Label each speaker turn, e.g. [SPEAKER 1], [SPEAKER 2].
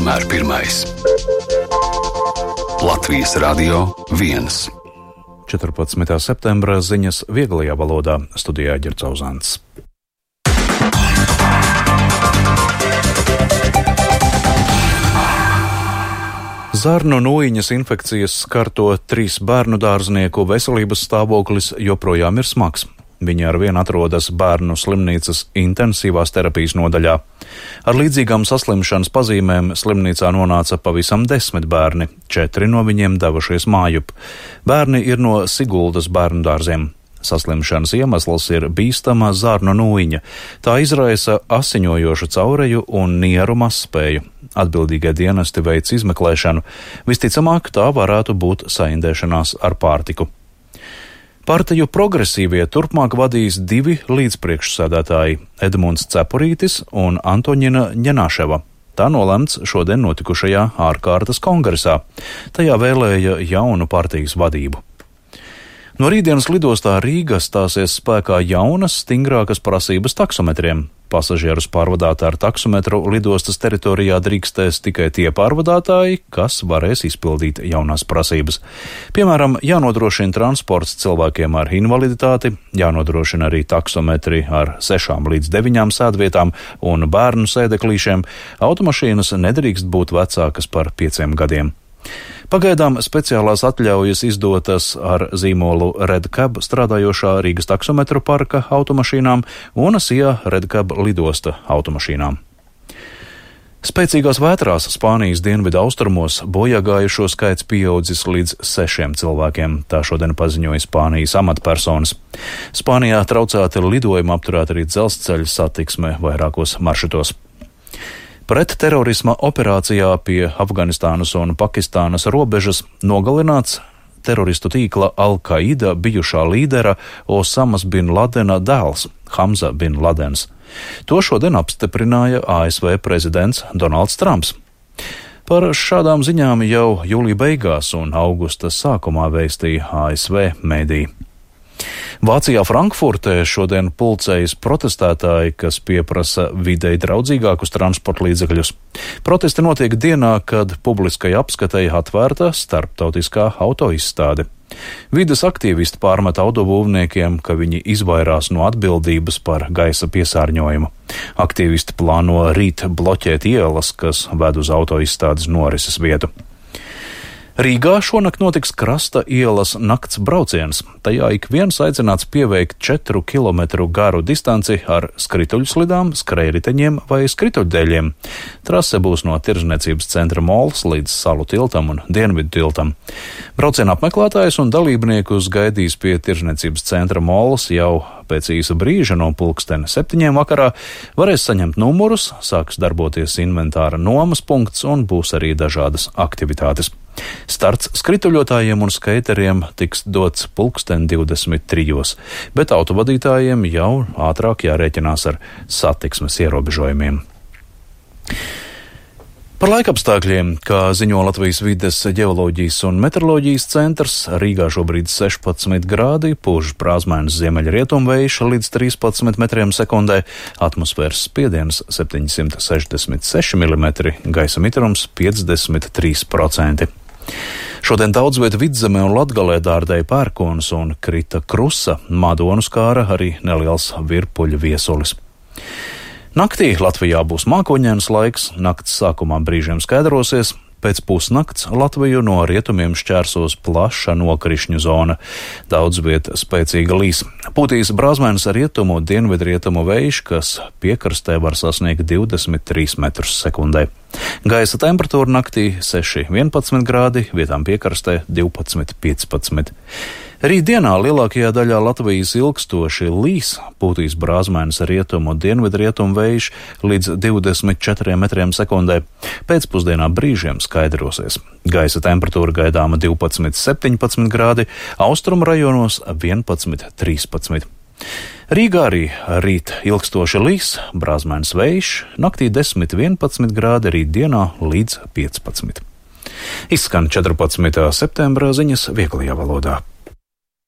[SPEAKER 1] vienmēr pirmais. Latvijas Radio 1.
[SPEAKER 2] 14. septembra ziņas vieglajā valodā, studijā Ģercauzāns. Zarnu nūjiņas infekcijas skarto 3 bērnu dārznieku veselības stāvoklis joprojām ir smags. Viņi arvien atrodas bērnu slimnīcas intensīvās terapijas nodaļā. Ar līdzīgām saslimšanas pazīmēm slimnīcā nonāca pavisam 10 bērni, 4 no viņiem devušies mājup. Bērni ir no Siguldas bērnu dārziem. Saslimšanas iemesls ir bīstama zarnu nūjiņa. Tā izraisa asiņojošu caureju un nieru mazspēju. Atbildīgie dienesti veic izmeklēšanu. Visticamāk, tā varētu būt saindēšanās ar pārtiku. Partiju progresīvie turpmāk vadīs 2 līdzpriekšsēdētāji – Edmunds Cepurītis un Antoņina Ņenāševa. Tā nolemts šodien notikušajā ārkārtas kongresā. Tajā vēlēja jaunu partijas vadību. No rītdienas lidostā Rīga stāsies spēkā jaunas, stingrākas prasības taksometriem. Pasažierus pārvadāt ar taksometru lidostas teritorijā drīkstēs tikai tie pārvadātāji, kas varēs izpildīt jaunās prasības. Piemēram, jānodrošina transports cilvēkiem ar invaliditāti, jānodrošina arī taksometri ar 6 līdz 9 sēdvietām un bērnu sēdeklīšiem. Automašīnas nedrīkst būt vecākas par 5 gadiem. Pagaidām speciālās atļaujas izdotas ar zīmolu Redcab strādājošā Rīgas taksometru parka automašīnām un SIA Redcab lidosta automašīnām. Spēcīgās vētrās Spānijas dienvidu austrumos bojāgājušo skaits pieaudzis līdz 6 cilvēkiem, tā šodien paziņoja Spānijas amatpersonas. Spānijā traucēti lidojumi, apturēta arī dzelzceļa satiksme vairākos maršrutos. Pret terorisma operācijā pie Afganistānas un Pakistānas robežas nogalināts teroristu tīkla Al-Qaida bijušā līdera Osamas bin Ladena dēls Hamza bin Ladens. To šodien apstiprināja ASV prezidents Donalds Trumps. Par šādām ziņām jau jūlija beigās un augusta sākumā vēstīja ASV mediji. Vācijā Frankfurtē šodien pulcējas protestētāji, kas pieprasa videi draudzīgākus transporta līdzekļus. Protesti notiek dienā, kad publiskai apskatei atvērta starptautiskā autoizstāde. Vides aktīvisti pārmet autobūvniekiem, ka viņi izvairās no atbildības par gaisa piesārņojumu. Aktīvisti plāno rīt bloķēt ielas, kas ved uz autoizstādes norises vietu. Rīgā šonakt notiks Krasta ielas nakts brauciens. Tajā ik viens aicināts pieveikt 4 kilometru garu distanci ar skrituļslidām, skrējriteņiem vai skrituļdēļiem. Trase būs no Tirdzniecības centra Mols līdz Salu tiltam un Dienvidu tiltam. Brauciena apmeklētājus un dalībniekus gaidīs pie Tirdzniecības centra Mols jau pēc īsa brīža no 7:00 vakarā. Varēs saņemt numurus, sāks darboties inventāra nomas punkts un būs arī dažādas aktivitātes. Starts skrituļotājiem un skaiteriem tiks dots 23:00, bet autovadītājiem jau ātrāk jārēķinās ar satiksmes ierobežojumiem. Par laikapstākļiem, kā ziņo Latvijas vides ģeoloģijas un meteoroloģijas centrs, Rīgā šobrīd 16 grādi, pūš brāzmainas ziemeļrietumvējš līdz 13 metriem sekundē, atmosfēras spiediens 766 mm, gaisa mitrums 53%. Šodien daudz viet Vidzemē un Latgalē dārdēja pērkons un krita krusa, Madonu skāra arī neliels virpuļu viesulis. Naktī Latvijā būs mākoņains laiks, nakts sākumā brīžiem skaidrosies, pēc pusnakts Latviju no rietumiem šķērsos plaša nokrišņu zona. Daudz viet spēcīga līs. Pūtīs brāzmainas rietumu, dienvidrietumu vējš, kas piekrastē var sasniegt 23 metrus sekundē. Gaisa temperatūra naktī 6–11 grādi, vietām piekrastē 12–15. Rītdienā lielākajā daļā Latvijas ilgstoši līs, pūtīs brāzmainas rietumu, dienvidrietumu vējš līdz 24 metriem sekundē. Pēcpusdienā brīžiem skaidrosies. Gaisa temperatūra gaidāma 12–17 grādi, austrumu rajonos 11–13. Rīgā arī rīt ilgstoši līs, brāzmainas vējš, naktī 10–11 grādi, rītdienā līdz 15. Izskan 14. septembra ziņas vieglajā valodā.